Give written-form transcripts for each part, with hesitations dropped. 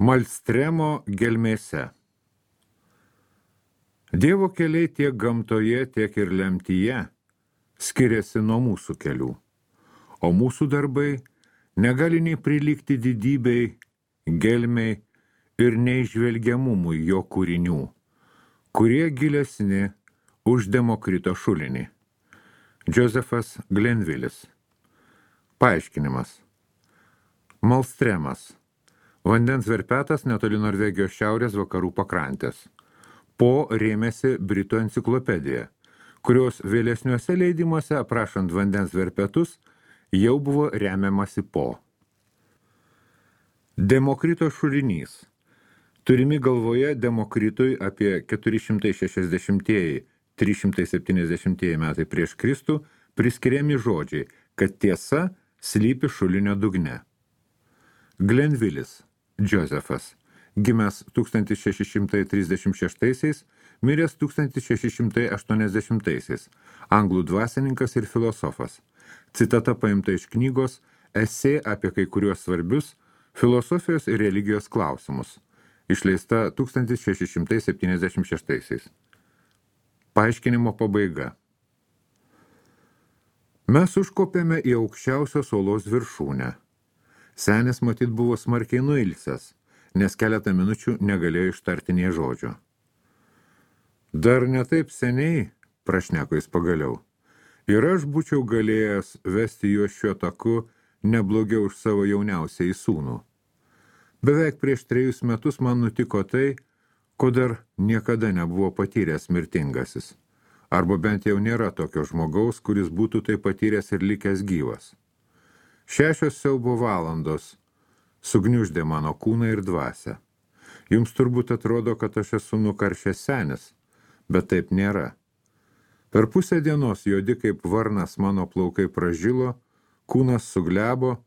Malstremo gelmėse. Dievo keliai tiek gamtoje, tiek ir lemtyje skiriasi nuo mūsų kelių, o mūsų darbai negali nei prilygti didybei, gelmei ir neižvelgiamumui jo kūrinių, kurie gilesni už Demokrito šulinį. Josefas Glenvilis. Paaiškinimas. Malstremas. Vandens verpetas netoli Norvegijos šiaurės vakarų pakrantės. Po rėmėsi Britų enciklopedija, kurios vėlesniuose leidimuose aprašant vandens verpetus jau buvo remiamasi po. Demokrito šulinys. Turimi galvoje Demokritui apie 460-370 metai prieš Kristų priskiriami žodžiai, kad tiesa slypi šulinio dugne. Glenvilis, Josefas, gimęs 1636, miręs 1680, anglų dvasininkas ir filosofas. Citata paimta iš knygos Esė apie kai kuriuos svarbius filosofijos ir religijos klausimus, išleista 1676. Paaiškinimo pabaiga. Mes užkopėme į aukščiausios uolos viršūnę. Senis matyt buvo smarkiai nuilsęs, nes keletą minučių negalėjo ištarti nė žodžio. Dar ne taip seniai, prašneko jis pagaliau, ir aš būčiau galėjęs vesti juos šiuo taku neblogiau už savo jauniausiai sūnų. Beveik prieš 3 metus man nutiko tai, ko dar niekada nebuvo patyręs mirtingasis, arba bent jau nėra tokio žmogaus, kuris būtų tai patyręs ir likęs gyvas. 6 siaubo valandos sugniuždė mano kūną ir dvasią. Jums turbūt atrodo, kad aš esu nukaršęs senis, bet taip nėra. Per pusę dienos juodi kaip varnas mano plaukai pražilo, kūnas suglebo,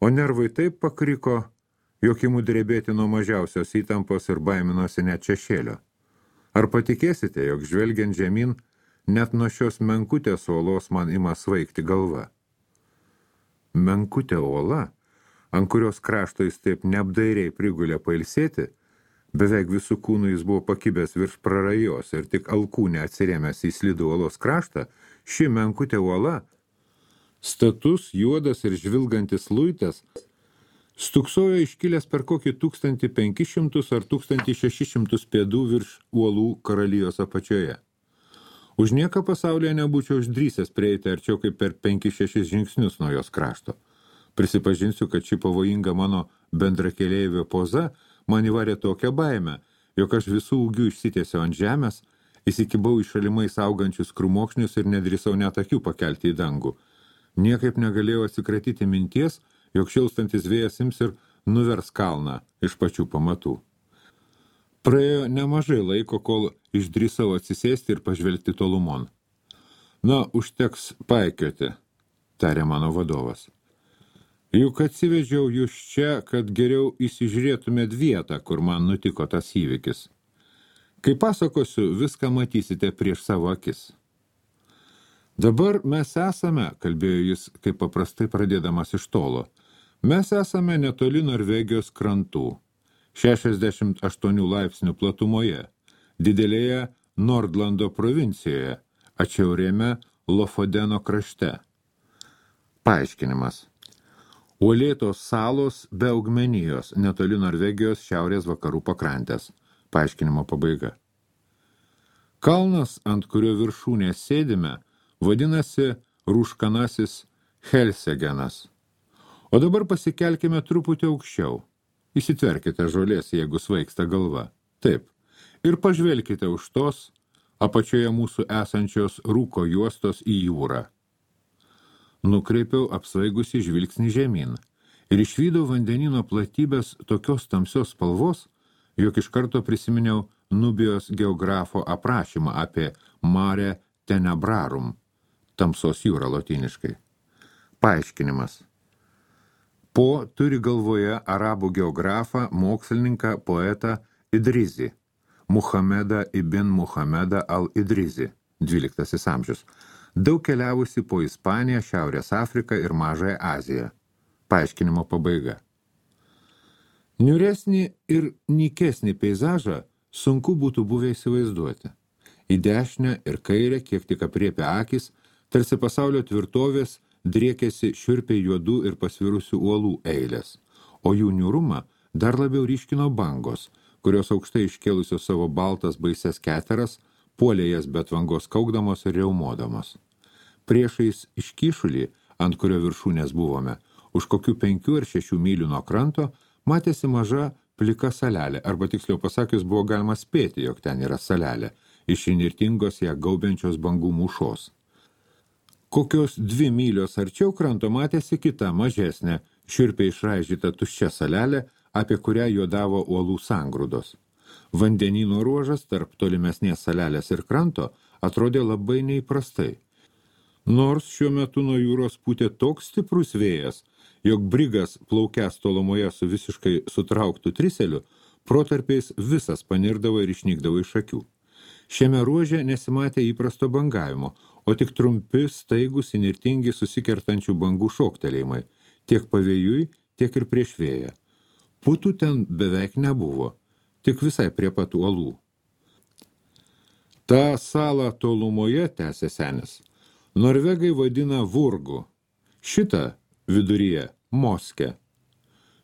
o nervai taip pakriko, jog imu drebėti nuo mažiausios įtampos ir baiminosi net šešėlio. Ar patikėsite, jog žvelgiant žemyn, net nuo šios menkutės uolos man ima svaigti galva? Menkutė uola, ant kurios krašto jis taip neapdairiai prigulė pailsėti, beveik visų kūnų jis buvo pakibęs virš prarajos ir tik alkūnę atsirėmęs į slidų uolos kraštą, ši menkutė uola, status, juodas ir žvilgantis luitas, stuksojo iškilęs per kokį 1500 ar 1600 pėdų virš uolų karalijos apačioje. Už nieką pasaulyje nebūčiau išdrįsęs prieiti arčiau kaip per 5-6 žingsnius nuo jos krašto. Prisipažinsiu, kad ši pavojinga mano bendrakeleivio poza man įvarė tokią baimę, jog aš visų ūgių išsitiesiau ant žemės, įsikibau į šalimais augančius krūmokšnius ir nedrįsau net akių pakelti į dangų. Niekaip negalėjau atsikratyti minties, jog šilstantis vėjas ims ir nuvers kalną iš pačių pamatų. Praėjo nemažai laiko, kol išdrįsau atsisėsti ir pažvelgti tolumon. Na, užteks paikioti, tarė mano vadovas. Juk atsivežiau jūs čia, kad geriau įsižiūrėtumėt vietą, kur man nutiko tas įvykis. Kai pasakosiu, viską matysite prieš savo akis. Dabar mes esame, kalbėjo jis, kaip paprastai pradėdamas iš tolo, mes esame netoli Norvegijos krantų, 68 laipsnių platumoje, didelėje Nordlando provincijoje, atšiaurėme Lofodeno krašte. Paaiškinimas. Uolėtos salos be augmenijos, netoli Norvegijos šiaurės vakarų pakrantės. Paaiškinimo pabaiga. Kalnas, ant kurio viršūnės sėdime, vadinasi Rūškanasis Helsegenas. O dabar pasikelkime truputį aukščiau. Įsitverkite žolės, jeigu svaigsta galva. Taip. Ir pažvelkite už tos, apačioje mūsų esančios rūko juostos į jūrą. Nukreipiau apsvaigusi žvilgsnį žemyn ir išvydau vandenino platybės tokios tamsios spalvos, jog iš karto prisiminiau Nubijos geografo aprašymą apie Mare Tenebrarum, tamsos jūrą lotyniškai. Paaiškinimas. Po turi galvoje arabų geografą, mokslininką, poetą Idrizį, Muhamedą ibn Muhamedą al-Idrizį, 12 amžius, daug keliavusi po Ispaniją, Šiaurės Afriką ir Mažąją Aziją. Paaiškinimo pabaiga. Niūresnį ir nykesnį peizažą sunku būtų buvę įsivaizduoti. Į dešinę ir kairę, kiek tik apriepia akis, tarsi pasaulio tvirtovės driekėsi šiurpiai juodų ir pasvirusių uolų eilės, o jų niūrumą dar labiau ryškino bangos, kurios aukštai iškėlusios savo baltas baises keteras, puolė jas be tvangos kaukdamos ir riaumodamos. Priešais iškyšulį, ant kurio viršūnės buvome, už kokių 5 ar 6 mylių nuo kranto, matėsi maža plika salelė, arba tiksliau pasakius buvo galima spėti, jog ten yra salelė, iš įnirtingos ją gaubiančios bangų mūšos. Kokios 2 mylios arčiau kranto matėsi kita, mažesnė, šiurpiai išraižyta tuščia salelė, apie kurią juodavo uolų sangrūdos. Vandenyno ruožas tarp tolimesnės salelės ir kranto atrodė labai neįprastai. Nors šiuo metu nuo jūros pūtė toks stiprus vėjas, jog brigas plaukęs tolumoje su visiškai sutrauktų triseliu, protarpiais visas panirdavo ir išnykdavo iš akių. Šiame ruože nesimatė įprasto bangavimo, o tik trumpi, staigus, įnirtingi susikertančių bangų šoktelėjimai, tiek pavėjui, tiek ir prieš vėją. Putų ten beveik nebuvo, tik visai prie pat uolų. Ta salą tolumoje, tęsė senis, norvegai vadina Vurgu, šitą viduryje Moske.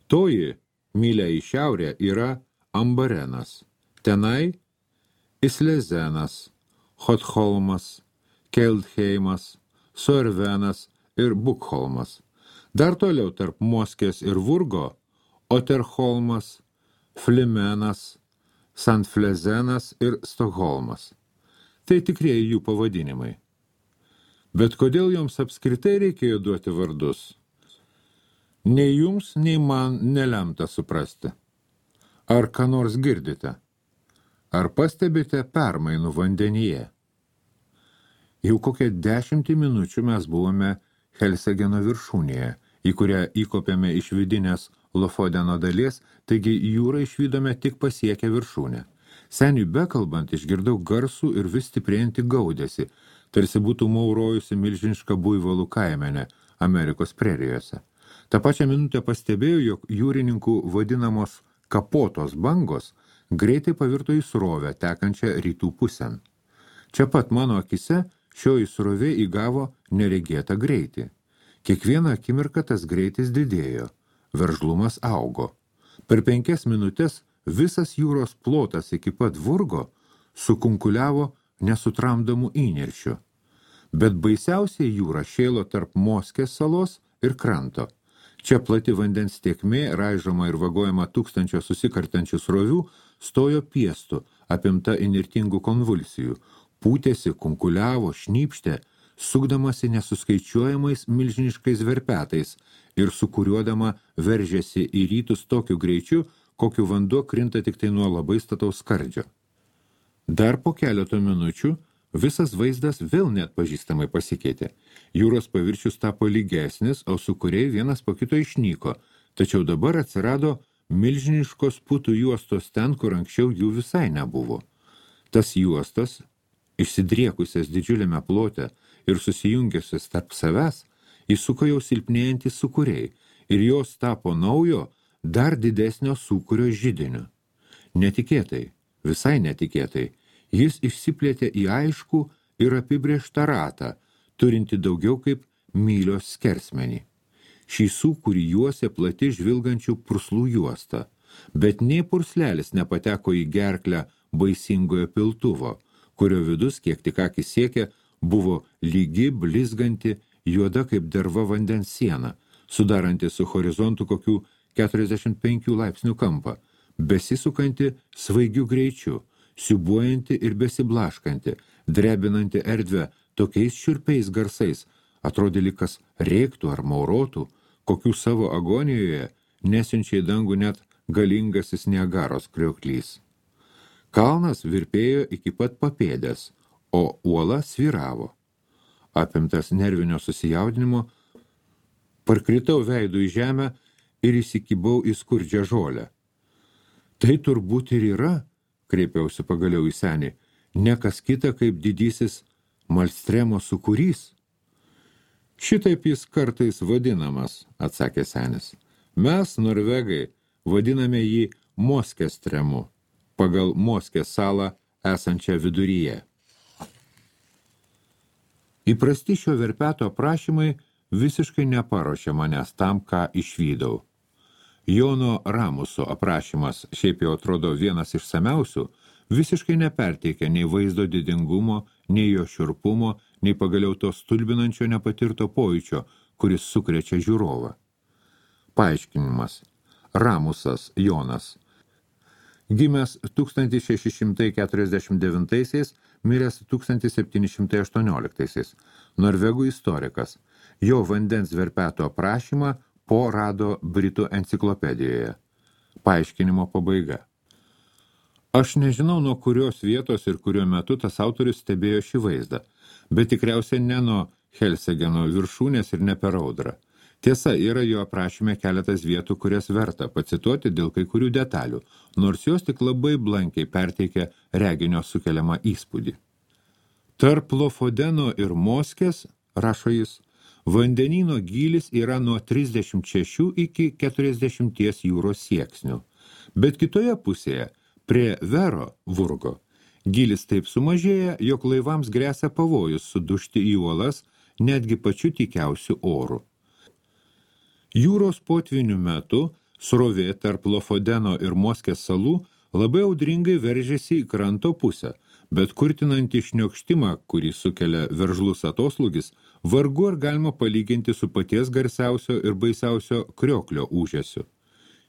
Toji, mylia į šiaurę, yra Ambarenas, tenai Islezenas, Hotholmas, Keldheimas, Sorvenas ir Bukholmas. Dar toliau tarp Moskės ir Vurgo Oterholmas, Flimenas, Sandflezenas ir Stokholmas. Tai tikrieji jų pavadinimai. Bet kodėl joms apskritai reikėjo duoti vardus? Nei jums, nei man nelemta suprasti. Ar ką nors girdite? Ar pastebite permainų vandenyje? Jau kokią 10 minučių mes buvome Helsegeno viršūnėje, į kurią įkopėme iš vidinės Lofodeno dalies, taigi jūrą išvydome tik pasiekę viršūnę. Seniui bekalbant išgirdau garsų ir vis stiprėjantį gaudesį, tarsi būtų maurojusi milžiniška buivolų kaimenė Amerikos prerijose. Ta pačią minutę pastebėjau, jog jūrininkų vadinamos kapotos bangos greitai pavirto į srovę, tekančią rytų pusėn. Čia pat mano akise šioji srovė įgavo neregėtą greitį. Kiekvieną akimirką tas greitis didėjo, veržlumas augo. Per 5 minutės visas jūros plotas iki pat Vurgo sukunkuliavo nesutramdomų įniršių. Bet baisiausiai jūra šėlo tarp Moskės salos ir kranto. Čia plati vandens tėkmė, raižoma ir vagojama tūkstančio susikartančių srovių, stojo piestų, apimta įnirtingų konvulsijų, pūtėsi, kunkuliavo, šnypštė, sukdamasi nesuskaičiuojamais milžiniškais verpetais ir sukuriuodama veržėsi į rytus tokiu greičiu, kokiu vanduo krinta tik tai nuo labai stataus skardžio. Dar po keleto minučių visas vaizdas vėl neatpažįstamai pasikeitė. Jūros paviršius tapo lygesnis, o sūkuriai vienas po kito išnyko, tačiau dabar atsirado milžiniškos putų juostos ten, kur anksčiau jų visai nebuvo. Tas juostas, išsidriekusias didžiuliame plote ir susijungiusias tarp savęs, įsuko jau silpnėjantys sūkuriai ir jos tapo naujo, dar didesnio sūkurio židiniu. Netikėtai, visai netikėtai, jis išsiplėtė į aiškų ir apibrėžtą ratą, turinti daugiau kaip mylios skersmenį. Šį sūkurį juosė plati žvilgančių purslų juosta, bet nei purslelis nepateko į gerklę baisingojo piltuvo, kurio vidus, kiek tik akis siekė, buvo lygi, blizganti, juoda kaip derva vandens siena, sudaranti su horizontu kokių 45 laipsnių kampą, besisukanti svaigiu greičiu, siubuojanti ir besiblaškanti, drebinanti erdvę tokiais šiurpiais garsais, atrodė lyg kas rėktų ar maurotų, kokių savo agonijoje nesiunčia į dangų net galingasis Niagaros krioklys. Kalnas virpėjo iki pat papėdės, o uola svyravo. Apimtas nervinio susijaudinimo, parkritau veidu į žemę ir įsikibau į skurdžią žolę. Tai turbūt ir yra, kreipiausi pagaliau į senį, ne kas kita kaip didysis Malstremo sūkurys. Šitaip jis kartais vadinamas, atsakė senis. Mes, norvegai, vadiname jį Moskės tremu, pagal Moskės salą esančią viduryje. Įprasti šio verpeto aprašymai visiškai neparuošė manęs tam, ką išvydau. Jono Ramuso aprašymas, šiaip jau atrodo vienas išsamiausių, visiškai neperteikia nei vaizdo didingumo, nei jo šiurpumo, nei pagaliau to stulbinančio nepatirto pojūčio, kuris sukrečia žiūrovą. Paaiškinimas. Ramusas Jonas. Gimęs 1649, miręs 1718. Norvegų istorikas. Jo vandens verpeto aprašymą Po rado Britų enciklopedijoje. Paaiškinimo pabaiga. Aš nežinau, nuo kurios vietos ir kuriuo metu tas autorius stebėjo šį vaizdą, bet tikriausiai ne nuo Helsegeno viršūnės ir ne per audrą. Tiesa, yra jo aprašyme keletas vietų, kurias verta pacituoti dėl kai kurių detalių, nors jos tik labai blankiai perteikia reginio sukeliamą įspūdį. Tarp Lofodeno ir Moskės, rašo jis, vandenyno gylis yra nuo 36 iki 40 jūros sieksnių, bet kitoje pusėje, prie Vero Vurgo, gylis taip sumažėja, jog laivams gresia pavojus sudužti į uolas netgi pačiu tykiausiu oru. Jūros potvinių metu srovė tarp Lofodeno ir Moskės salų labai audringai veržėsi į kranto pusę, bet kurtinantį šniokštimą, kurį sukelia veržlus atoslūgis, vargu ar galima palyginti su paties garsiausio ir baisiausio krioklio ūžesiu.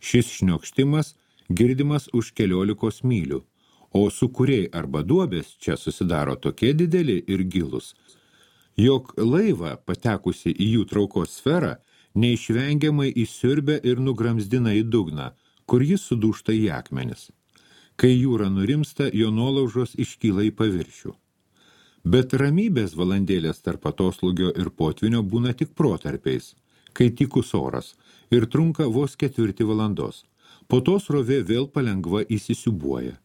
Šis šniokštimas girdimas už 14 mylių, o sūkuriai arba duobės čia susidaro tokie dideli ir gilus, jog laivą patekusi į jų traukos sferą neišvengiamai įsiurbia ir nugramzdina į dugną, kur jis sudūžta į akmenis. Kai jūra nurimsta, jo nuolaužos iškyla į paviršių. Bet ramybės valandėlės tarp atoslūgio ir potvinio būna tik protarpiais, kai tykus oras, ir trunka vos 4 valandos. Po to srovė vėl palengva įsisiubuoja.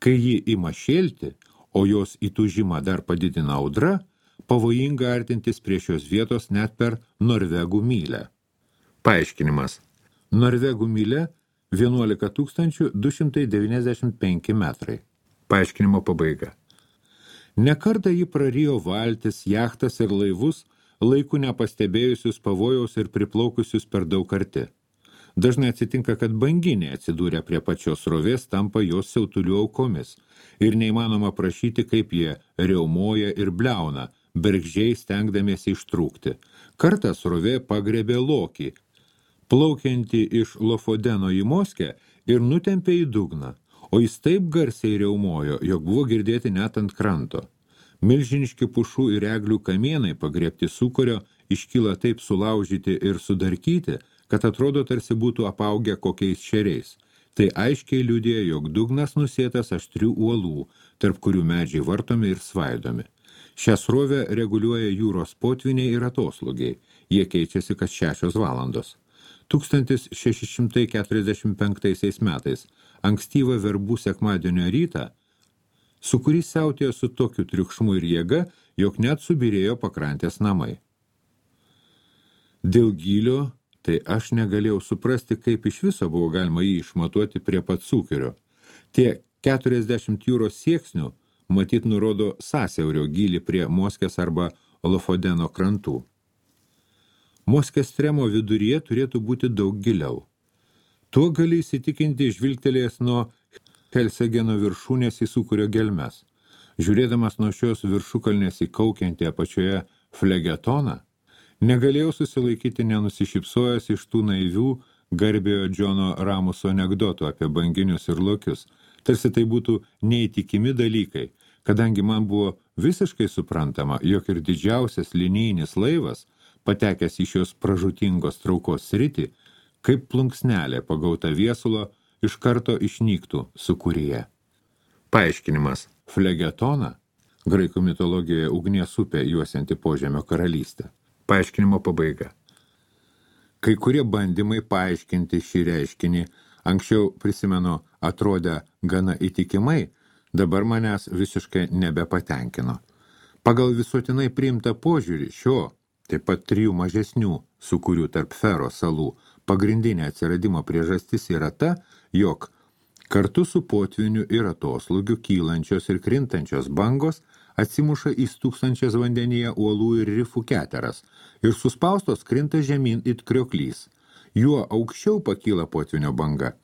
Kai ji ima šėlti, o jos įtūžimą dar padidina audra, pavojinga artintis prie šios vietos net per Norvegų mylę. Paaiškinimas. Norvegų mylė 11 295 metrai. Paaiškinimo pabaiga. Nekartą jį prarijo valtis, jachtas ir laivus, laiku nepastebėjusius pavojaus ir priplaukusius per daug arti. Dažnai atsitinka, kad banginiai atsidūrę prie pačios srovės tampa jos siautulių aukomis ir neįmanoma prašyti, kaip jie riaumoja ir bliauna, bergždžiai stengdamiesi ištrūkti. Kartą srovė pagrebė lokį, plaukiantį iš Lofodeno į Moskę ir nutempė į dugną, o jis taip garsiai riaumojo, jog buvo girdėti net ant kranto. Milžiniški pušų ir eglių kamienai pagriebti sūkurio iškyla taip sulaužyti ir sudarkyti, kad atrodo tarsi būtų apaugę kokiais šeriais. Tai aiškiai liudija, jog dugnas nusėtas aštrių uolų, tarp kurių medžiai vartomi ir svaidomi. Šią srovę reguliuoja jūros potviniai ir atoslūgiai. Jie keičiasi kas 6 valandos. 1645 metais, ankstyvą verbų sekmadienio rytą, sūkurys siautėjo su tokiu triukšmu ir jėga, jog net subyrėjo pakrantės namai. Dėl gylio, tai aš negalėjau suprasti, kaip iš viso buvo galima jį išmatuoti prie pat sūkurio. Tie 40 jūros sieksnių matyt nurodo sąsiaurio gylį prie Moskės arba Lofodeno krantų. Moskės tremo viduryje turėtų būti daug giliau. Tuo gali įsitikinti žvilgtelėjęs nuo Helsegeno viršūnės į sūkurio gelmes. Žiūrėdamas nuo šios viršukalnės į kaukiantį apačioje flegetoną, negalėjau susilaikyti nenusišypsojęs iš tų naivių garbiojo Džono Ramuso anekdotų apie banginius ir lokius. Tarsi tai būtų neįtikimi dalykai, kadangi man buvo visiškai suprantama, jog ir didžiausias linijinis laivas, patekęs į šios pražūtingos traukos sritį, kaip plunksnelė pagauta viesulo, iš karto išnyktų sūkuryje. Paaiškinimas. Flegetona, graikų mitologijoje ugnies upė juosianti Požemio karalystę. Paaiškinimo pabaiga. Kai kurie bandymai paaiškinti šį reiškinį, anksčiau, prisimenu, atrodę gana įtikimai, dabar manęs visiškai nebepatenkino. Pagal visuotinai priimtą požiūrį šio, taip pat 3 mažesnių sūkurių tarp Fero salų, Pagrindinė atsiradimo priežastis yra ta, jog kartu su potviniu ir atoslūgiu kylančios ir krintančios bangos atsimuša į stūksančias vandenyje uolų ir rifų keteras ir suspaustos krinta žemyn it krioklys. Juo aukščiau pakyla potvinio banga,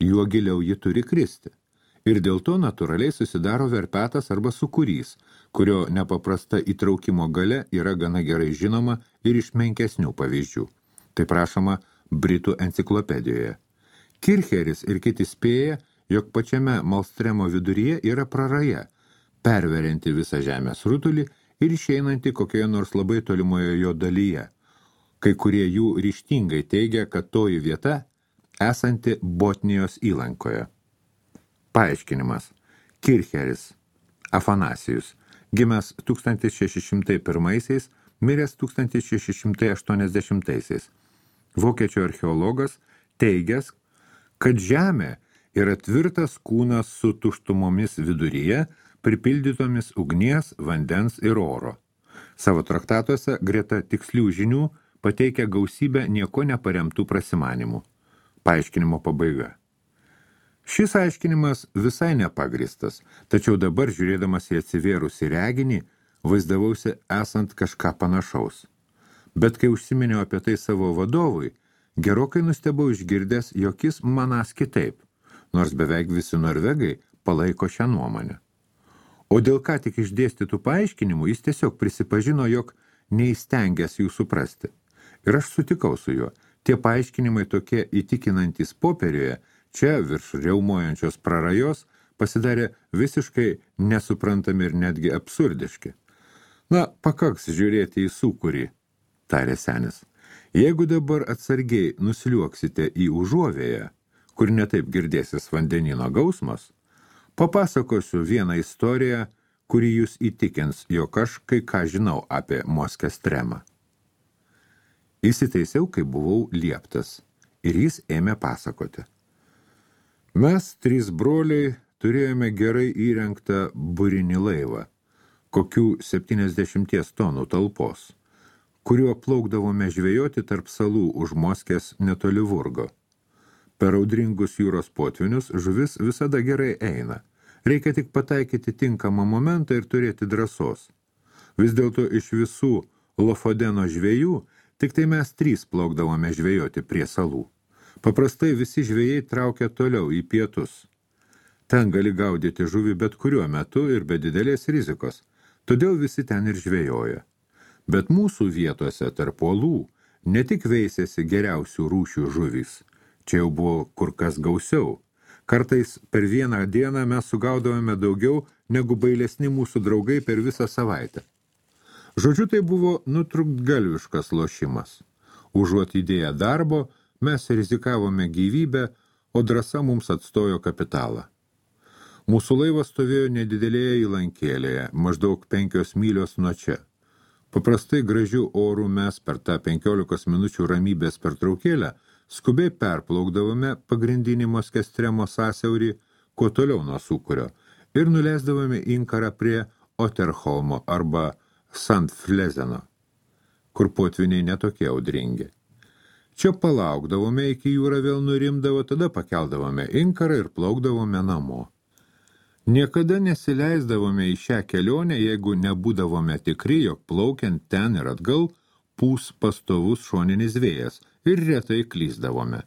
juo giliau ji turi kristi. Ir dėl to natūraliai susidaro verpetas arba sūkurys, kurio nepaprasta įtraukimo galia yra gana gerai žinoma ir iš menkesnių pavyzdžių. Tai prašoma Britų enciklopedijoje. Kircheris ir kiti spėja, jog pačiame Malstremo viduryje yra praraja, perverianti visą žemės rutulį ir išeinanti kokioje nors labai tolimoje jo dalyje. Kai kurie jų ryžtingai teigia, kad toji vieta esanti Botnijos įlankoje. Paaiškinimas. Kircheris Afanasijus, gimęs 1601, miręs 1680. Vokiečių archeologas teigęs, kad žemė yra tvirtas kūnas su tuštumomis viduryje, pripildytomis ugnies, vandens ir oro. Savo traktatuose greta tikslių žinių pateikia gausybę nieko neparemtų prasimanimų. Paaiškinimo pabaiga. Šis aiškinimas visai nepagristas, tačiau dabar, žiūrėdamas į atsivėrusį reginį, vaizdavausi esant kažką panašaus. Bet kai užsiminiau apie tai savo vadovui, gerokai nustebau išgirdęs, jog jis manas kitaip, nors beveik visi norvegai palaiko šią nuomonę. O dėl ką tik išdėstytų paaiškinimų, jis tiesiog prisipažino, jog neįstengęs jų suprasti. Ir aš sutikau su juo. Tie paaiškinimai tokie įtikinantys popieriuje, čia virš riaumojančios prarajos, pasidarė visiškai nesuprantami ir netgi absurdiški. Na, pakaks žiūrėti į sūkurį, tarė senis. Jeigu dabar atsargiai nusliuoksite į užuovėją, kur netaip girdėsis vandenino gausmas, papasakosiu vieną istoriją, kuri jūs įtikins, jog aš kai ką žinau apie Moskęstremą. Įsitaisiau, kai buvau lieptas, ir jis ėmė pasakoti. Mes, 3 broliai, turėjome gerai įrengtą burinį laivą, kokių 70 tonų talpos, kuriuo plaukdavome žvejoti tarp salų už Moskės netoli Vurgo. Per audringus jūros potvinius žuvis visada gerai eina. Reikia tik pataikyti tinkamą momentą ir turėti drąsos. Vis dėlto iš visų Lofodeno žvejų tik tai mes 3 plaukdavome žvejoti prie salų. Paprastai visi žvejai traukia toliau į pietus. Ten gali gaudyti žuvį bet kuriuo metu ir be didelės rizikos, todėl visi ten ir žvejoja. Bet mūsų vietose tarp uolų ne tik veisėsi geriausių rūšių žuvys, čia jau buvo kur kas gausiau. Kartais per vieną dieną mes sugaudavome daugiau negu bailesni mūsų draugai per visą savaitę. Žodžiu, tai buvo nutrūktgalviškas lošimas. Užuot įdėję darbo, mes rizikavome gyvybę, o drąsa mums atstojo kapitalą. Mūsų laivas stovėjo nedidelėje įlankėlėje, maždaug 5 mylios nuo čia. Paprastai gražių orų mes per tą 15 minučių ramybės pertraukėlę skubiai perplaukdavome pagrindinį Moskęstremo sąsiaurį, kuo toliau nuo sūkurio, ir nuleisdavome inkarą prie Oterholmo arba Sandflezeno, kur potviniai netokie audringi. Čia palaukdavome, iki jūra vėl nurimdavo, tada pakeldavome inkarą ir plaukdavome namo. Niekada nesileisdavome į šią kelionę, jeigu nebūdavome tikri, jog plaukiant ten ir atgal pūs pastovus šoninis vėjas ir retai klysdavome.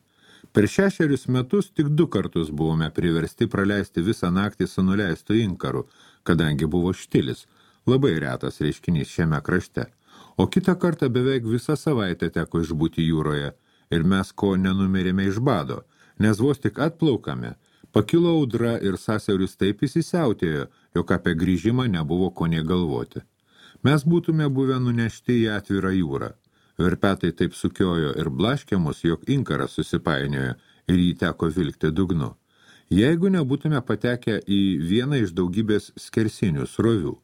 Per 6 metus tik 2 kartus buvome priversti praleisti visą naktį su nuleistu inkaru, kadangi buvo štilis, labai retas reiškinys šiame krašte. O kitą kartą beveik visą savaitę teko išbūti jūroje ir mes ko nenumirėme iš bado, nes vos tik atplaukame, pakilo audra ir sąsiauris taip įsisiautėjo, jog apie grįžimą nebuvo ko nė galvoti. Mes būtume buvę nunešti į atvirą jūrą. Verpetai taip sukiojo ir blaškė mus, jog inkaras susipainiojo ir jį teko vilkti dugnu. Jeigu nebūtume patekę į vieną iš daugybės skersinių srovių.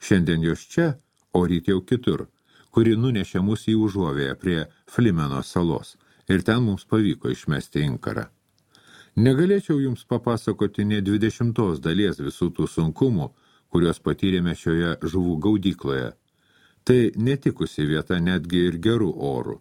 Šiandien jos čia, o ryt jau kitur, kuri nunešė mus į užuovėją prie Flimeno salos ir ten mums pavyko išmesti inkarą. Negalėčiau jums papasakoti nė 20 dalies visų tų sunkumų, kuriuos patyrėme šioje žuvų gaudykloje. Tai netikusi vieta netgi ir gerų orų.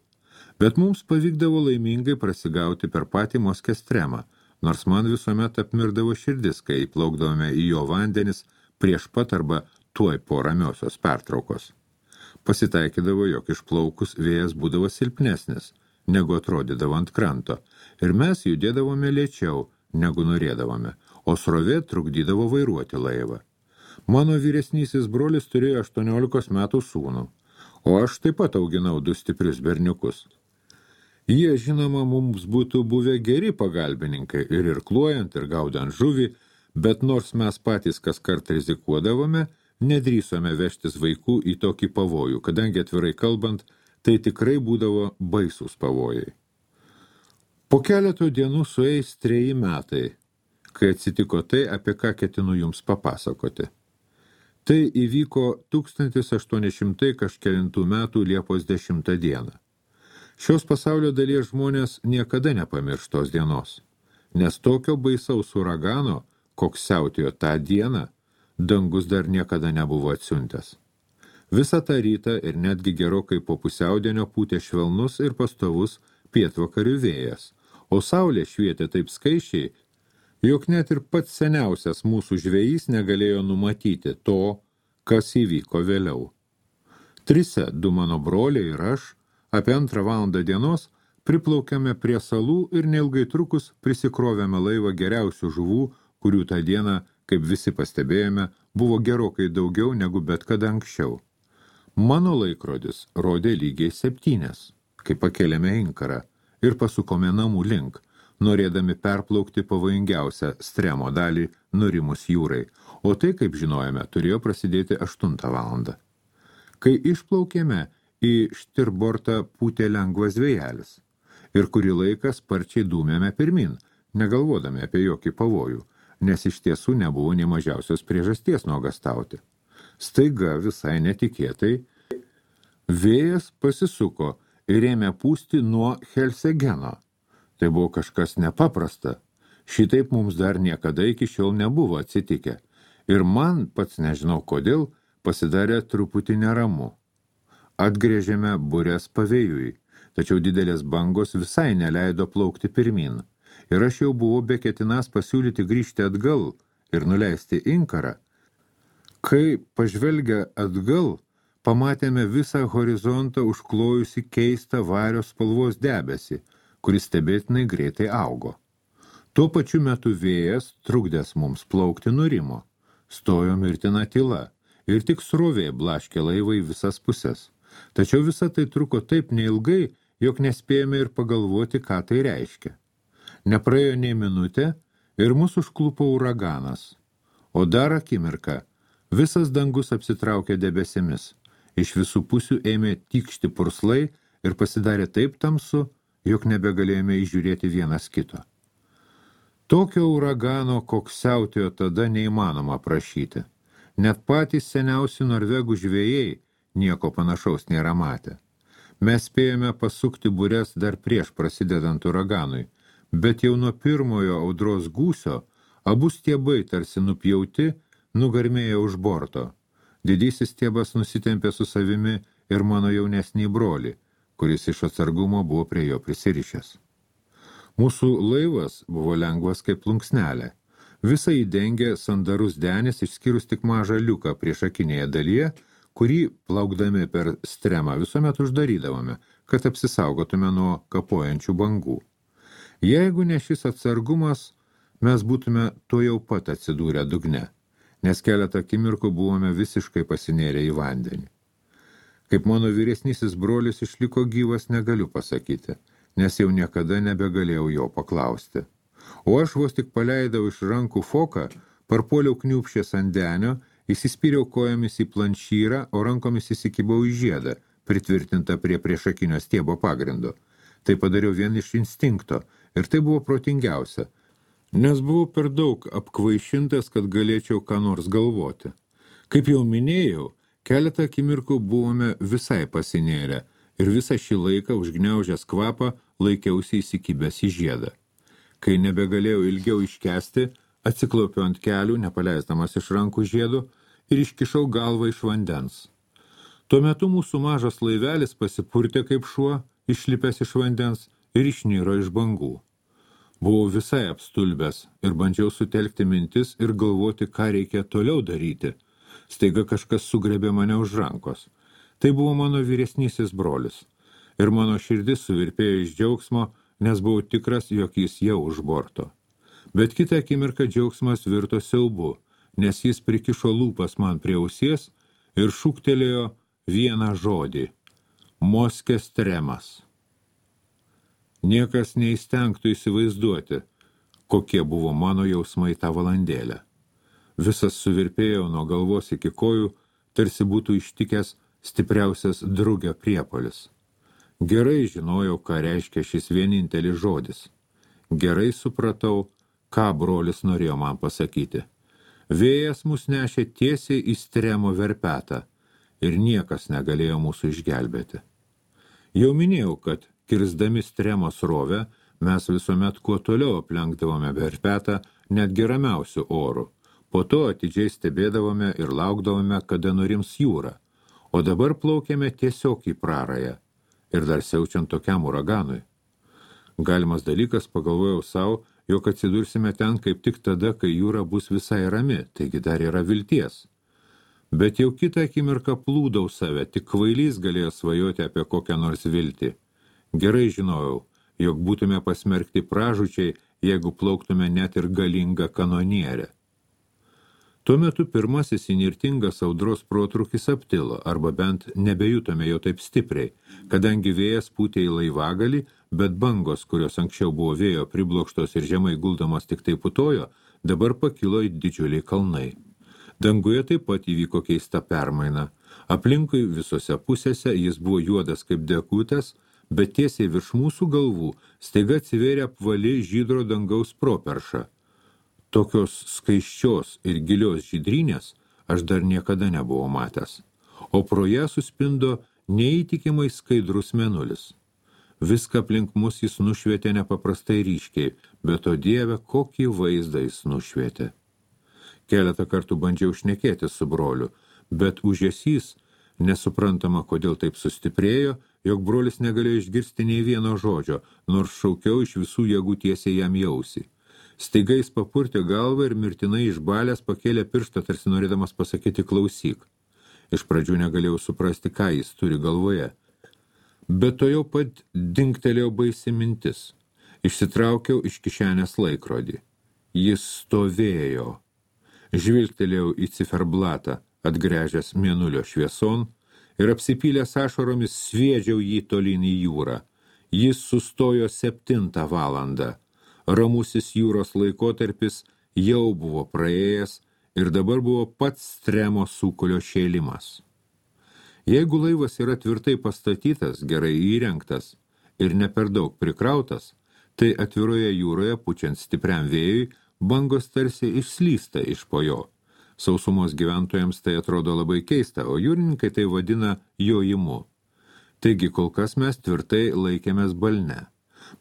Bet mums pavykdavo laimingai prasigauti per patį Moskestremą, nors man visuomet apmirdavo širdis, kai plaukdavome į jo vandenis prieš pat arba tuoj po ramiosios pertraukos. Pasitaikydavo, jog išplaukus vėjas būdavo silpnesnis, negu atrodydavo ant kranto, ir mes judėdavome lėčiau, negu norėdavome, o srovė trukdydavo vairuoti laivą. Mano vyresnysis brolis turėjo 18 metų sūnų, o aš taip pat auginau 2 stiprius berniukus. Jie, žinoma, mums būtų buvę geri pagalbininkai ir irkluojant, ir gaudant žuvį, bet nors mes patys kas kart rizikuodavome, nedrįsome vežtis vaikų į tokį pavojų, kadangi atvirai kalbant, tai tikrai būdavo baisūs pavojai. Po keletų dienų sueis 3 metai, kai atsitiko tai, apie ką ketinu jums papasakoti. Tai įvyko 1800 kažkelintų metų Liepos 10 dieną. Šios pasaulio dalies žmonės niekada nepamirš tos dienos, nes tokio baisaus uragano, koks siautėjo tą dieną, dangus dar niekada nebuvo atsiuntęs. Visą tą rytą ir netgi gerokai po pusiaudienio pūtė švelnus ir pastovus pietvakarių vėjas, o saulė švietė taip skaičiai, jog net ir pats seniausias mūsų žvejys negalėjo numatyti to, kas įvyko vėliau. 3, 2 mano broliai ir aš, apie 2 valandą dienos, priplaukėme prie salų ir neilgai trukus prisikrovėme laivą geriausių žuvų, kurių tą dieną, kaip visi pastebėjome, buvo gerokai daugiau negu bet kada anksčiau. Mano laikrodis rodė lygiai 7, kai pakėlėme inkarą ir pasukome namų link, norėdami perplaukti pavojingiausią stremo dalį nurimus jūrai, o tai, kaip žinojame, turėjo prasidėti 8 valandą. Kai išplaukėme, į štirbortą pūtė lengvas vėjelis ir kurį laiką sparčiai dūmėme pirmin, negalvodami apie jokį pavojų, nes iš tiesų nebuvo nei mažiausios priežasties nuogastauti. Staiga visai netikėtai vėjas pasisuko ir ėmė pūsti nuo Helsegeno. Tai buvo kažkas nepaprasta. Šitaip mums dar niekada iki šiol nebuvo atsitikę. Ir man, pats nežinau kodėl, pasidarė truputį neramu. Atgrėžėme bures pavėjui, tačiau didelės bangos visai neleido plaukti pirmin. Ir aš jau buvau beketinąs pasiūlyti grįžti atgal ir nuleisti inkarą. Kai pažvelgę atgal, pamatėme visą horizontą užklojusi keistą vario spalvos debesį, kuris stebėtinai greitai augo. Tuo pačiu metu vėjas, trukdęs mums plaukti, nurimo. Stojo mirtina tyla ir tik srovė blaškė laivą į visas puses. Tačiau visa tai truko taip neilgai, jog nespėjome ir pagalvoti, ką tai reiškia. Nepraėjo nei minutė ir mūsų užklupo uraganas. O dar akimirką visas dangus apsitraukė debesimis. Iš visų pusių ėmė tykšti purslai ir pasidarė taip tamsu, jog nebegalėjome įžiūrėti vienas kito. Tokio uragano, koks siautėjo tada, neįmanoma aprašyti. Net patys seniausi norvegų žvejai nieko panašaus nėra matę. Mes spėjome pasukti bures dar prieš prasidedant uraganui, bet jau nuo pirmojo audros gūsio abu stiebai tarsi nupjauti, nugarmėjo už borto. Didysis stiebas nusitempė su savimi ir mano jaunesnį brolį, kuris iš atsargumo buvo prie jo prisirišęs. Mūsų laivas buvo lengvas kaip plunksnelė. Visą įdengė sandarus denis, išskyrus tik mažą liuką priešakinėje dalyje, kurį, plaukdami per stremą, visuomet uždarydavome, kad apsisaugotume nuo kapojančių bangų. Jeigu ne šis atsargumas, mes būtume to jau pat atsidūrę dugne, nes keletą akimirkų buvome visiškai pasinėrę į vandenį. Kaip mano vyresnysis brolis išliko gyvas, negaliu pasakyti, nes jau niekada nebegalėjau jo paklausti. O aš vos tik paleidau iš rankų foką, parpuoliau kniūpšės ant denio, įsispyriau kojomis į planšyrą, o rankomis įsikibau į žiedą, pritvirtintą prie priešakinio stiebo pagrindo. Tai padariau vien iš instinkto, ir tai buvo protingiausia, nes buvau per daug apkvaišintas, kad galėčiau ką nors galvoti. Kaip jau minėjau, keletą akimirkų buvome visai pasinėrę, ir visą šį laiką užgniaužęs kvapą laikiausi įsikibęs į žiedą. Kai nebegalėjau ilgiau iškęsti, atsiklaupiau ant kelių, nepaleisdamas iš rankų žiedų, ir iškišau galvą iš vandens. Tuo metu mūsų mažas laivelis pasipurtė kaip šuo, išlipęs iš vandens ir išniro iš bangų. Buvau visai apstulbęs ir bandžiau sutelkti mintis ir galvoti, ką reikia toliau daryti. Staiga kažkas sugrebė mane už rankos. Tai buvo mano vyresnysis brolis. Ir mano širdis suvirpėjo iš džiaugsmo, nes buvau tikras, jog jis jau už borto. Bet kitą akimirką džiaugsmas virto siaubu, nes jis prikišo lūpas man prie ausies ir šūktelėjo vieną žodį – Moskestremas. Niekas neįstengtų įsivaizduoti, kokie buvo mano jausmai tą valandėlę. Visas suvirpėjau nuo galvos iki kojų, tarsi būtų ištikęs stipriausias drugio priepuolis. Gerai žinojau, ką reiškia šis vienintelis žodis. Gerai supratau, ką brolis norėjo man pasakyti. Vėjas mus nešė tiesiai į Stremo verpetą ir niekas negalėjo mūsų išgelbėti. Jau minėjau, kad kirsdami Stremo srovę, mes visuomet kuo toliau aplenkdavome verpetą net geramiausių orų. Po to atidžiai stebėdavome ir laukdavome, kada nurims jūra, o dabar plaukėme tiesiog į prarają ir dar siaučiant tokiam uraganui. Galimas dalykas, pagalvojau savo, jog atsidursime ten kaip tik tada, kai jūra bus visai rami, taigi dar yra vilties. Bet jau kitą akimirką plūdau save, tik kvailys galėjo svajoti apie kokią nors viltį. Gerai žinojau, jog būtume pasmerkti pražūčiai, jeigu plauktume net ir galingą kanonierę. Tuo metu pirmasis įnirtingas audros protrūkis aptilo, arba bent nebejutome jo taip stipriai, kadangi vėjas pūtė į laivagalį, bet bangos, kurios anksčiau buvo vėjo priblokštos ir žemai guldamos tik tai putojo, dabar pakilo į didžiuliai kalnai. Danguje taip pat įvyko keista permaina. Aplinkui visose pusėse jis buvo juodas kaip dekutės, bet tiesiai virš mūsų galvų staiga atsivėrė apvali žydro dangaus properša. Tokios skaiščios ir gilios žydrynės aš dar niekada nebuvau matęs, o pro ją suspindo neįtikimai skaidrus mėnulis. Viską aplink mus jis nušvietė nepaprastai ryškiai, bet o Dieve, kokį vaizdą jis nušvietė. Keletą kartų bandžiau šnekėti su broliu, bet užesys, nesuprantama, kodėl taip sustiprėjo, jog brolis negalėjo išgirsti nei vieno žodžio, nors šaukiau iš visų jėgų tiesiai jam į ausį. Staiga jis papurtė galvą ir mirtinai išbalęs pakėlė pirštą, tarsi norėdamas pasakyti klausyk. Iš pradžių negalėjau suprasti, ką jis turi galvoje. Bet to jau pat dingtelėjo baisi mintis. Išsitraukiau iš kišenės laikrodį. Jis stovėjo. Žvilgtelėjau į ciferblatą, atgręžęs mėnulio švieson, ir apsipylęs ašaromis sviedžiau jį tolyn į jūrą. Jis sustojo 7 valandą. Ramusis jūros laikotarpis jau buvo praėjęs ir dabar buvo pats Stremo sūkulio šėlimas. Jeigu laivas yra tvirtai pastatytas, gerai įrengtas ir ne per daug prikrautas, tai atviroje jūroje, pučiant stipriam vėjui, bangos tarsi išslysta iš po jo. Sausumos gyventojams tai atrodo labai keista, o jūrininkai tai vadina jojimu. Taigi kol kas mes tvirtai laikėmės balne.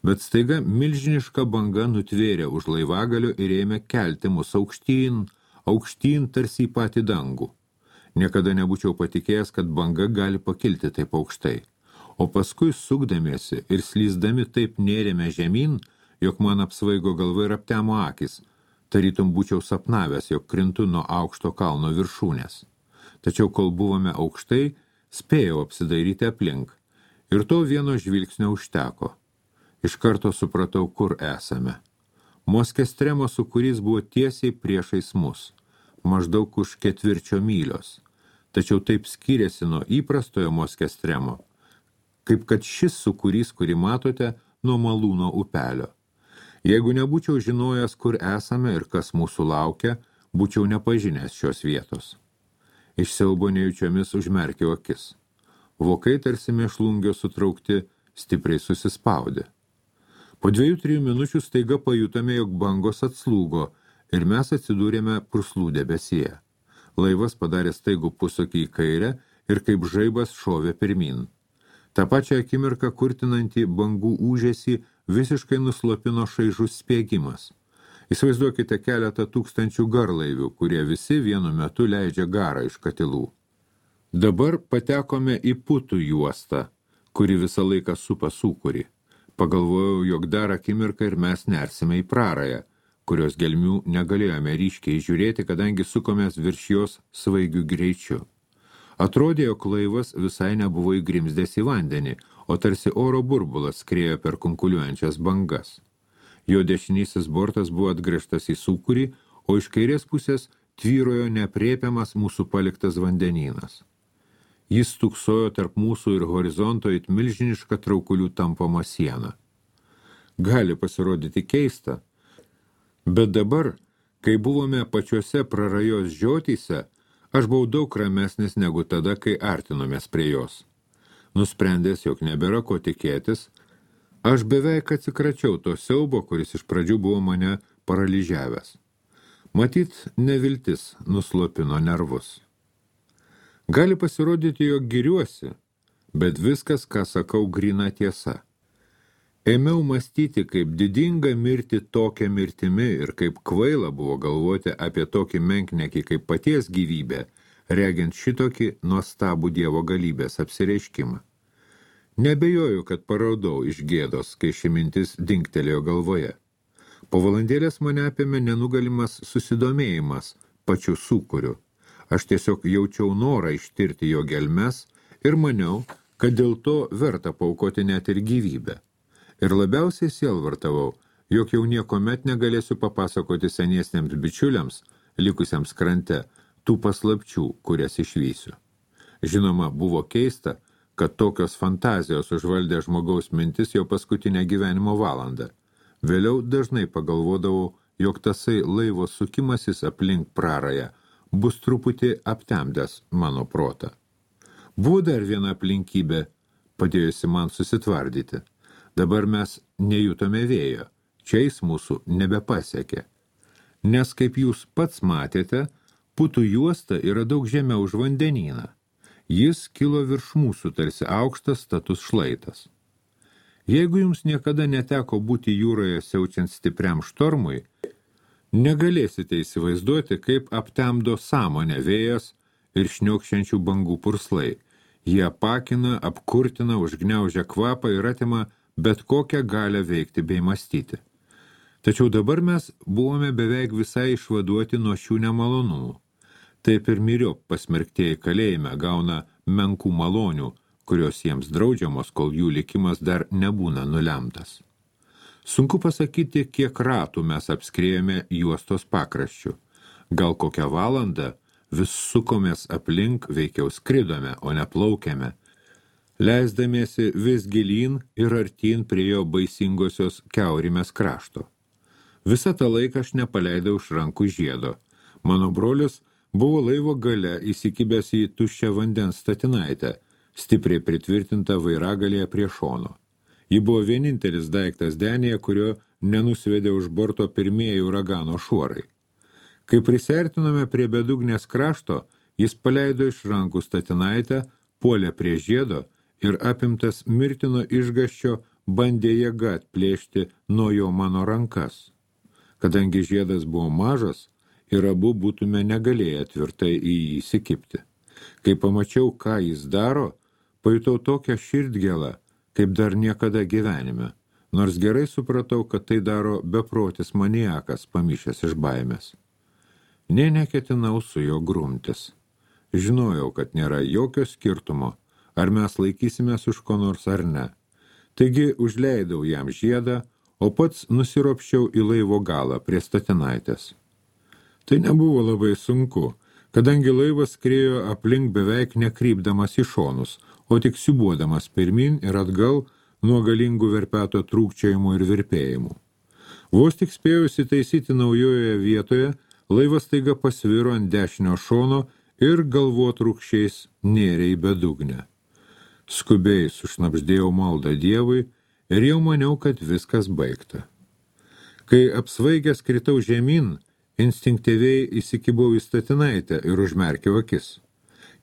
Bet staiga milžiniška banga nutvėrė už laivagalio ir ėmė kelti mus aukštyn, aukštyn tarsi į patį dangų. Niekada nebūčiau patikėjęs, kad banga gali pakilti taip aukštai. O paskui sukdamiesi ir slysdami taip nėrėme žemyn, jog man apsvaigo galva ir aptemo akis. Tarytum būčiau sapnavęs, jog krintu nuo aukšto kalno viršūnės. Tačiau kol buvome aukštai, spėjau apsidairyti aplink. Ir to vieno žvilgsnio užteko. Iš karto supratau, kur esame. Moskestremo sūkurys buvo tiesiai priešais mus, maždaug už 4 mylios. Tačiau taip skiriasi nuo įprastojo Moskestremo, kaip kad šis sūkurys, kurį matote, nuo Malūno upelio. Jeigu nebūčiau žinojęs, kur esame ir kas mūsų laukia, būčiau nepažinęs šios vietos. Iš siaubo nejučiomis užmerkiau akis. Vokai tarsi mėšlungio sutraukti stipriai susispaudė. Po 2-3 minučių staiga pajutome, jog bangos atslūgo ir mes atsidūrėme purslų debesyje. Laivas padarė staigų posūkį į kairę ir kaip žaibas šovė pirmyn. Ta pačią akimirką kurtinantį bangų ūžesį visiškai nuslopino šaižus spiegimas. Įsivaizduokite keletą tūkstančių garlaivių, kurie visi vienu metu leidžia garą iš katilų. Dabar patekome į putų juostą, kuri visą laiką supa sūkurį. Pagalvojau, jog dar akimirką ir mes nersime į prarają, kurios gelmių negalėjome ryškiai žiūrėti, kadangi sukomės virš jos svaigių greičiu. Atrodė, jog laivas visai nebuvo įgrimzdęs į vandenį, o tarsi oro burbulas skriejo per kunkuliuojančias bangas. Jo dešinysis bortas buvo atgręžtas į sūkurį, o iš kairės pusės tvyrojo neaprėpiamas mūsų paliktas vandenynas. Jis stūksojo tarp mūsų ir horizonto it milžiniška traukulių tampoma siena. Gali pasirodyti keista, bet dabar, kai buvome pačiose prarajos žiotyse, aš buvau daug ramesnis negu tada, kai artinomės prie jos. Nusprendęs, jog nebėra ko tikėtis, aš beveik atsikračiau to siaubo, kuris iš pradžių buvo mane paralyžiavęs. Matyt, neviltis nuslopino nervus. Gali pasirodyti, jog giriuosi, bet viskas, ką sakau, gryna tiesa. Ėmiau mąstyti, kaip didinga mirti tokia mirtimi ir kaip kvaila buvo galvoti apie tokį menknekį kaip paties gyvybę, regint šitokį nuostabų Dievo galybės apsireiškimą. Nebejoju, kad paraudau iš gėdos, kai ši mintis dingtelėjo galvoje. Po valandėlės mane apėmė nenugalimas susidomėjimas pačiu sūkuriu. Aš tiesiog jaučiau norą ištirti jo gelmes ir maniau, kad dėl to verta paaukoti net ir gyvybę. Ir labiausiai sielvartavau, jog jau niekomet negalėsiu papasakoti seniesniems bičiuliams, likusiems krante, tų paslapčių, kurias išvysiu. Žinoma, buvo keista, kad tokios fantazijos užvaldė žmogaus mintis jau paskutinę gyvenimo valandą. Vėliau dažnai pagalvodavau, jog tasai laivo sukimasis aplink prarają bus truputį aptemdęs mano protą. Buvo dar viena aplinkybė, padėjusi man susitvardyti. Dabar mes nejutome vėjo, čia jis mūsų nebepasiekė. Nes, kaip jūs pats matėte, putų juosta yra daug žemiau už vandenyną. Jis kilo virš mūsų tarsi aukštas status šlaitas. Jeigu jums niekada neteko būti jūroje siaučiant stipriam štormui, negalėsite įsivaizduoti, kaip aptemdo sąmonę vėjas ir šniokščiančių bangų purslai. Jie apakina, apkurtina, užgniaužia kvapą ir atima bet kokią galę veikti bei mąstyti. Tačiau dabar mes buvome beveik visai išvaduoti nuo šių nemalonumų. Taip ir myriop pasmerktieji kalėjime gauna menkų malonių, kurios jiems draudžiamos, kol jų likimas dar nebūna nulemtas. Sunku pasakyti, kiek ratų mes apskrėjome juostos pakraščių. Gal kokią valandą vis sukomės aplink, veikiau skridome, o ne plaukėme, leisdamiesi vis gilyn ir artyn prie jo baisingosios kiaurimės krašto. Visą tą laiką aš nepaleidau iš rankų žiedo. Mano brolis buvo laivo gale įsikibęs į tuščią vandens statinaitę, stipriai pritvirtintą vairagalėje prie šono. Ji buvo vienintelis daiktas denėje, kurio nenusvedė už borto pirmieji uragano šuorai. Kai prisiartinome prie bedugnės krašto, jis paleido iš rankų statinaitę, puolė prie žiedo ir apimtas mirtino išgąsčio bandė jėga atplėšti nuo jo mano rankas. Kadangi žiedas buvo mažas, ir abu būtume negalėję tvirtai į jį įsikibti. Kai pamačiau, ką jis daro, pajutau tokią širdgėlą, kaip dar niekada gyvenime, nors gerai supratau, kad tai daro beprotis maniakas, pamišęs iš baimės. Nė neketinau su jo grumtis. Žinojau, kad nėra jokio skirtumo, ar mes laikysimės už ko nors ar ne. Taigi užleidau jam žiedą, o pats nusiropščiau į laivo galą prie statinaitės. Tai nebuvo labai sunku, kadangi laivas skriejo aplink beveik nekrypdamas į šonus, o tik siūbuodamas pirmin ir atgal nuo galingų verpeto trūkčiojimų ir virpėjimų. Vos tik spėjau įsitaisyti naujoje vietoje, laivas staiga pasviro ant dešinio šono ir galvotrūkščiais nėrė į bedugnę. Skubiai sušnabždėjau maldą Dievui ir jau maniau, kad viskas baigta. Kai apsvaigęs kritau žemyn, instinktyviai įsikibau į statinaitę ir užmerkiau akis.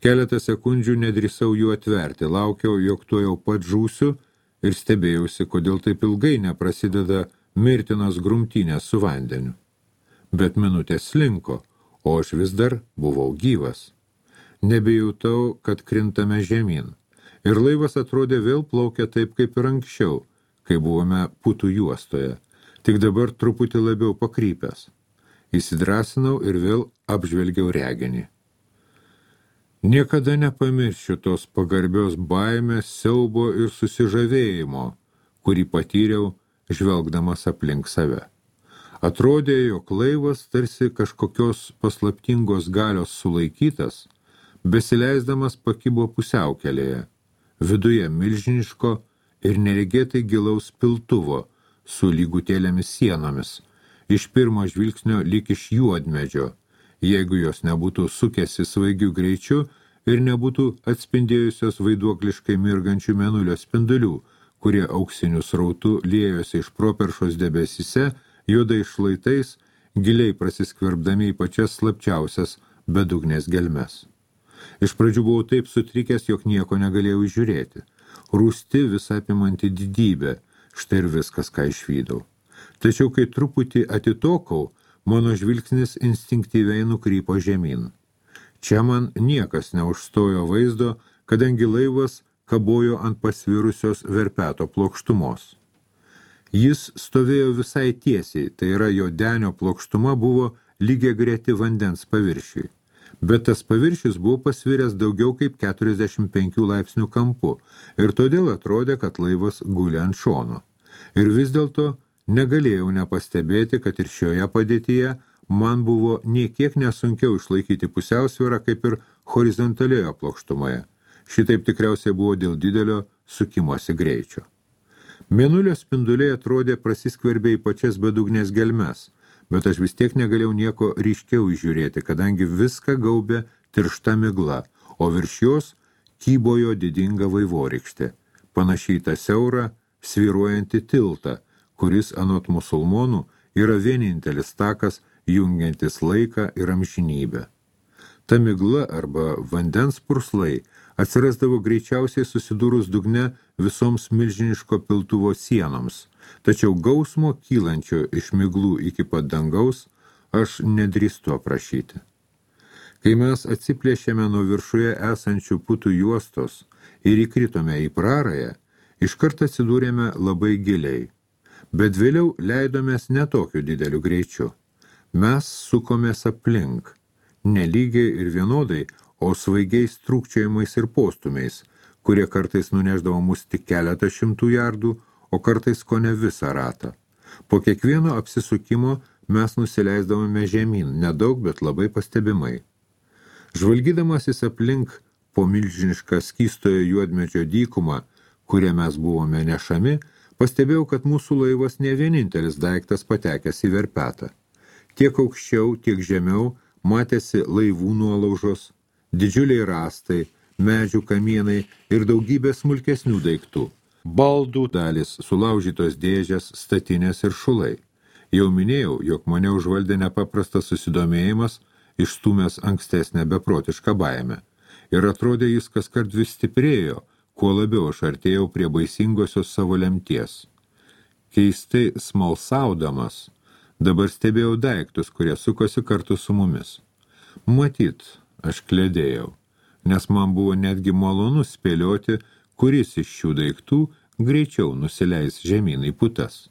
Keletą sekundžių nedrįsau jų atverti, laukiau, jog tuo jau pat žūsiu ir stebėjausi, kodėl taip ilgai neprasideda mirtinos grumtynės su vandeniu. Bet minutės slinko, o aš vis dar buvau gyvas. Nebejutau, kad krintame žemyn. Ir laivas atrodė vėl plaukia taip kaip ir anksčiau, kai buvome Putų juostoje, tik dabar truputį labiau pakrypęs. Įsidrasinau ir vėl apžvelgiau reginį. Niekada nepamiršiu tos pagarbios baimės, siaubo ir susižavėjimo, kurį patyriau, žvelgdamas aplink save. Atrodė, jog laivas tarsi kažkokios paslaptingos galios sulaikytas, besileisdamas pakibo pusiaukelėje, viduje milžiniško ir neregėtai gilaus piltuvo su lygutėlėmis sienomis, iš pirmo žvilgsnio lyg iš juodmedžio, jeigu jos nebūtų sukęsi svaigiu greičiu ir nebūtų atspindėjusios vaiduokliškai mirgančių mėnulio spindulių, kurie auksiniu srautu liejosi iš properšos debesyse, juodai šlaitais, giliai prasiskverbdami į pačias slapčiausias bedugnės gelmes. Iš pradžių buvau taip sutrikęs, jog nieko negalėjau žiūrėti. Rūsti visą apimanti didybė, štai ir viskas, ką išvydau. Tačiau, kai truputį atitokau, mano žvilgsnis instinktyviai nukrypo žemyn. Čia man niekas neužstojo vaizdo, kadangi laivas kabojo ant pasvirusios verpeto plokštumos. Jis stovėjo visai tiesiai, tai yra jo denio plokštuma buvo lygiagreti vandens paviršiui. Bet tas paviršius buvo pasviręs daugiau kaip 45 laipsnių kampu ir todėl atrodė, kad laivas guli ant šono. Ir vis dėlto negalėjau nepastebėti, kad ir šioje padėtyje man buvo niekiek nesunkiau išlaikyti pusiausvyrą kaip ir horizontalioje plokštumoje. Šitaip tikriausiai buvo dėl didelio sukimosi greičio. Mėnulio spinduliai atrodė prasiskverbė į pačias bedugnės gelmes, bet aš vis tiek negalėjau nieko ryškiau įžiūrėti, kadangi viską gaubė tiršta migla, o virš jos kybojo didinga vaivorykštė, panašiai tą siaurą, svyruojantį tiltą, kuris anot musulmonų yra vienintelis takas jungiantis laiką ir amžinybę. Ta migla arba vandens purslai atsirasdavo greičiausiai susidūrus dugne visoms milžiniško piltuvo sienoms, tačiau gausmo kylančio iš miglų iki pat dangaus aš nedrįstu aprašyti. Kai mes atsiplėšėme nuo viršuje esančių Putų juostos ir įkritome į prarają, iškart atsidūrėme labai giliai, bet vėliau leidomės ne tokiu dideliu greičiu. Mes sukomės aplink, nelygiai ir vienodai, o svaigiais trūkčiojimais ir postumiais, kurie kartais nuneždavo mus tik keletą šimtų jardų, o kartais kone visą ratą. Po kiekvieno apsisukimo mes nusileisdavome žemyn, nedaug, bet labai pastebimai. Žvalgydamasis aplink po milžinišką skystojo juodmedžio dykumą, kurie mes buvome nešami, pastebėjau, kad mūsų laivas ne vienintelis daiktas patekęs į verpetą. Tiek aukščiau, tiek žemiau matėsi laivų nuolaužos, didžiuliai rąstai, medžių kamienai ir daugybė smulkesnių daiktų. Baldų dalis, sulaužytos dėžės, statinės ir šulai. Jau minėjau, jog mane užvaldė nepaprastas susidomėjimas, išstūmęs ankstesnę beprotišką baimę. Ir atrodė jis kaskart vis stiprėjo, kuo labiau aš artėjau prie baisingosios savo lemties. Keistai smalsaudamas, dabar stebėjau daiktus, kurie sukosi kartu su mumis. Matyt, aš kledėjau, nes man buvo netgi malonu spėlioti, kuris iš šių daiktų greičiau nusileis žemyn į putas.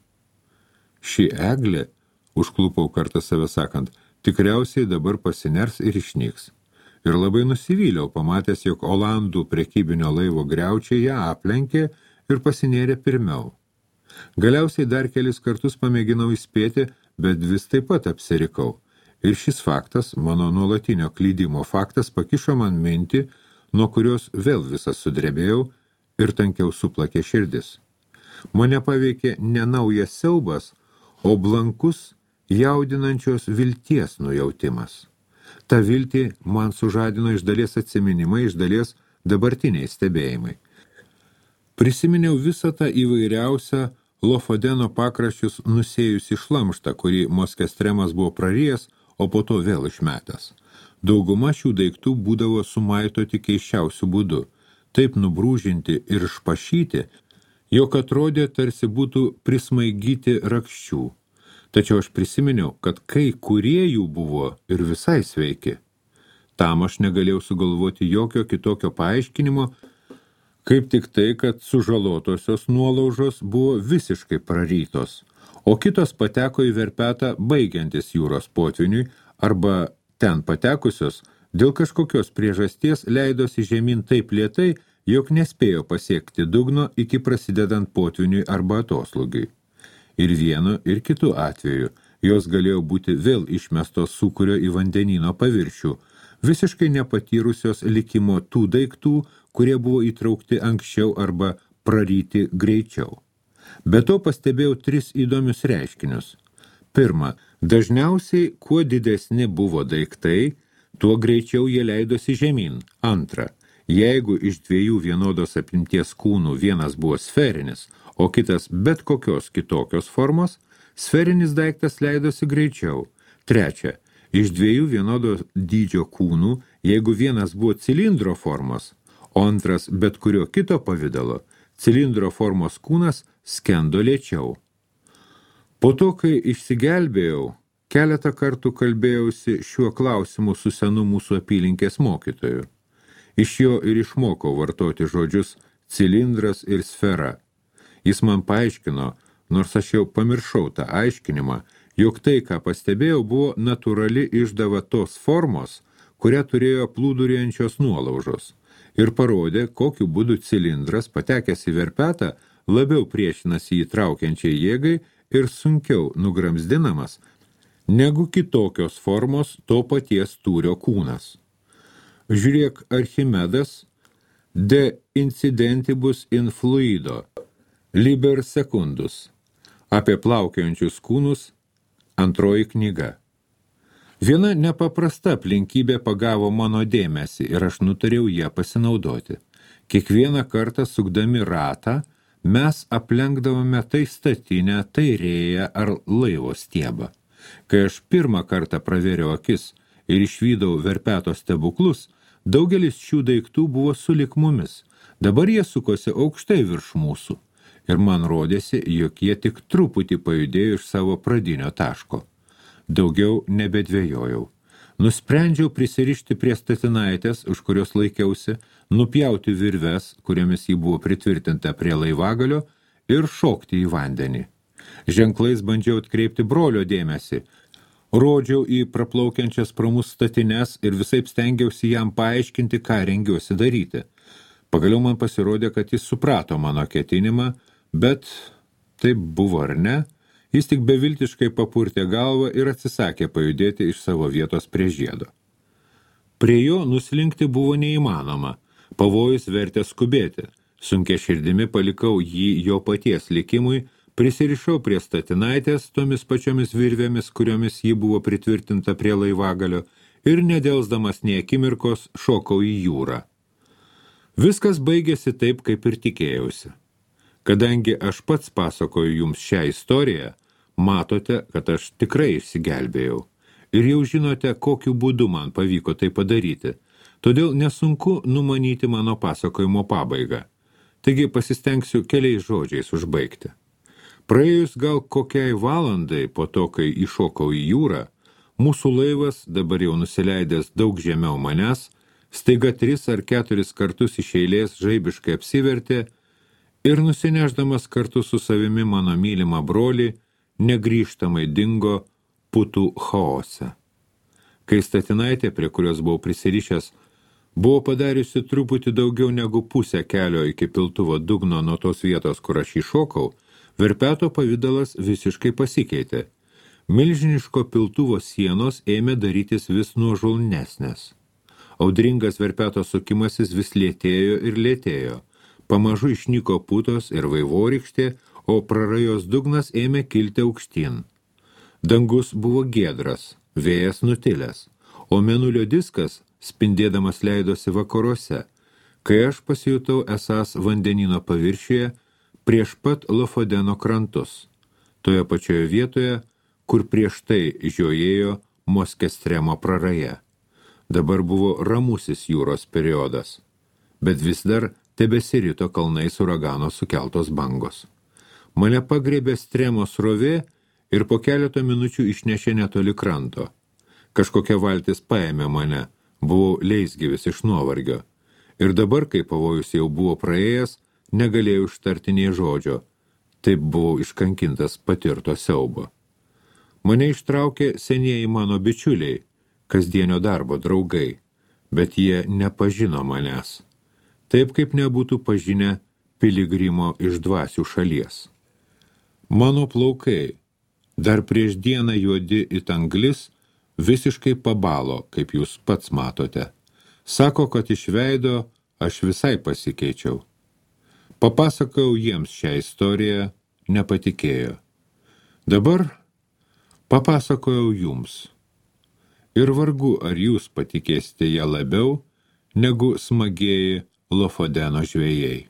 Ši eglė, užklupau kartą save sakant, tikriausiai dabar pasiners ir išnyks. Ir labai nusivyliau, pamatęs, jog Olandų prekybinio laivo griaučiai ją aplenkė ir pasinėrė pirmiau. Galiausiai dar kelis kartus pamėginau įspėti, bet vis taip pat apsirikau. Ir šis faktas, mano nuolatinio klydimo faktas, pakišo man mintį, nuo kurios vėl visas sudrebėjau ir tankiau suplakė širdis. Mane paveikė ne naujas siaubas, o blankus, jaudinančios vilties nujautimas. Ta viltį man sužadino iš dalies atsiminimai, iš dalies dabartiniai stebėjimai. Prisiminiau visą tą įvairiausią Lofodeno pakraščius nusėjusi šlamštą, kurį Moskestremas buvo prarijęs, o po to vėl išmetęs. Dauguma šių daiktų būdavo sumaitoti keisčiausių būdų, taip nubrūžinti ir išpašyti, jog atrodė tarsi būtų prismaigyti rakščių. Tačiau aš prisiminiau, kad kai kurie jų buvo ir visai sveiki. Tam aš negalėjau sugalvoti jokio kitokio paaiškinimo, Kaip tik tai, kad sužalotosios nuolaužos buvo visiškai prarytos, o kitos pateko į verpetą baigiantis jūros potviniui arba ten patekusios dėl kažkokios priežasties leidosi žemyn taip lėtai, jog nespėjo pasiekti dugno iki prasidedant potviniui arba atoslūgiui. Ir vienu, ir kitu atveju jos galėjo būti vėl išmestos sūkurio į vandenyno paviršių, visiškai nepatyrusios likimo tų daiktų, kurie buvo įtraukti anksčiau arba praryti greičiau. Be to pastebėjau 3 įdomius reiškinius. Pirma, dažniausiai kuo didesni buvo daiktai, tuo greičiau jie leidosi žemyn. Antra, jeigu iš 2 vienodos apimties kūnų vienas buvo sferinis, o kitas bet kokios kitokios formos, sferinis daiktas leidosi greičiau. Trečia, iš 2 vienodo dydžio kūnų, jeigu vienas buvo cilindro formos, o antras bet kurio kito pavidalo, cilindro formos kūnas skendo lėčiau. Po to, kai išsigelbėjau, keletą kartų kalbėjausi šiuo klausimu su senu mūsų apylinkės mokytoju. Iš jo ir išmokau vartoti žodžius cilindras ir sfera. Jis man paaiškino, nors aš jau pamiršau tą aiškinimą, jog tai, ką pastebėjau, buvo natūrali išdava tos formos, kurią turėjo plūduriuojančios nuolaužos, ir parodė, kokiu būdu cilindras, patekęs į verpetą, labiau priešinasi įtraukiančiai jėgai ir sunkiau nugramzdinamas, negu kitokios formos to paties tūrio kūnas. Žiūrėk, Archimedas, De incidentibus in fluido, Liber secundus, apie plaukiojančius kūnus, 2 knyga. Viena nepaprasta aplinkybė pagavo mano dėmesį ir aš nutariau ją pasinaudoti. Kiekvieną kartą sukdami ratą, mes aplenkdavome tai statinę, tai rėją ar laivo stiebą. Kai aš pirmą kartą pravėriau akis ir išvydau verpeto stebuklus, daugelis šių daiktų buvo sulig mumis. Dabar jie sukosi aukštai virš mūsų ir man rodėsi, jog jie tik truputį pajudėjo iš savo pradinio taško. Daugiau nebedvėjojau. Nusprendžiau prisirišti prie statinaitės, už kurios laikiausi, nupjauti virves, kuriamis jį buvo pritvirtinta prie laivagalio, ir šokti į vandenį. Ženklais bandžiau atkreipti brolio dėmesį. Rodžiau į praplaukiančias pro mus statines ir visaip stengiausi jam paaiškinti, ką rengiuosi daryti. Pagaliau man pasirodė, kad jis suprato mano ketinimą, bet taip buvo ar ne, jis tik beviltiškai papurtė galvą ir atsisakė pajudėti iš savo vietos prie žiedo. Prie jo nuslinkti buvo neįmanoma, pavojus vertė skubėti. Sunkia širdimi palikau jį jo paties likimui, prisirišau prie statinaitės tomis pačiomis virvėmis, kuriomis ji buvo pritvirtinta prie laivagalio, ir nedelsdamas nė akimirkos šokau į jūrą. Viskas baigėsi taip, kaip ir tikėjausi. Kadangi aš pats pasakoju jums šią istoriją, matote, kad aš tikrai išsigelbėjau. Ir jau žinote, kokiu būdu man pavyko tai padaryti. Todėl nesunku numanyti mano pasakojimo pabaigą. Taigi pasistengsiu keliais žodžiais užbaigti. Praėjus gal kokiai valandai po to, kai iššokau į jūrą, mūsų laivas, dabar jau nusileidęs daug žemiau manęs, staiga 3 ar 4 kartus iš eilės žaibiškai apsivertė ir nusineždamas kartu su savimi mano mylimą brolį, negrįžtamai dingo putų chaose. Kai statinaitė, prie kurios buvau prisirišęs, buvo padariusi truputį daugiau negu pusę kelio iki piltuvo dugno nuo tos vietos, kur aš įšokau, verpeto pavidalas visiškai pasikeitė. Milžiniško piltuvo sienos ėmė darytis vis nuožulnesnės. Audringas verpeto sukimasis vis lėtėjo ir lėtėjo. Pamažu išnyko putos ir vaivorykštė, o prarajos dugnas ėmė kilti aukštyn. Dangus buvo giedras, vėjas nutilęs, o mėnulio diskas spindėdamas leidosi vakaruose, kai aš pasijutau esąs vandenino paviršiuje prieš pat Lofodeno krantus, toje pačioje vietoje, kur prieš tai žiojėjo Moskestremo praraja. Dabar buvo ramusis jūros periodas, bet vis dar tebesirito kalnais uragano sukeltos bangos. Mane pagriebė stremo srovė ir po keleto minučių išnešė netoli kranto. Kažkokia valtis paėmė mane, buvau leisgyvis iš nuovargio. Ir dabar, kai pavojus jau buvo praėjęs, negalėjau ištarti nė žodžio. Taip buvau iškankintas patirto siaubo. Mane ištraukė senieji mano bičiuliai, kasdienio darbo draugai, bet jie nepažino manęs. Taip kaip nebūtų pažinę piligrimo iš dvasių šalies. Mano plaukai, dar prieš dieną juodi it anglis, visiškai pabalo, kaip jūs pats matote. Sako, kad iš veido aš visai pasikeičiau. Papasakojau jiems šią istoriją, nepatikėjo. Dabar papasakojau jums. Ir vargu, ar jūs patikėsite ją labiau, negu smagieji Lofodeno žvejai.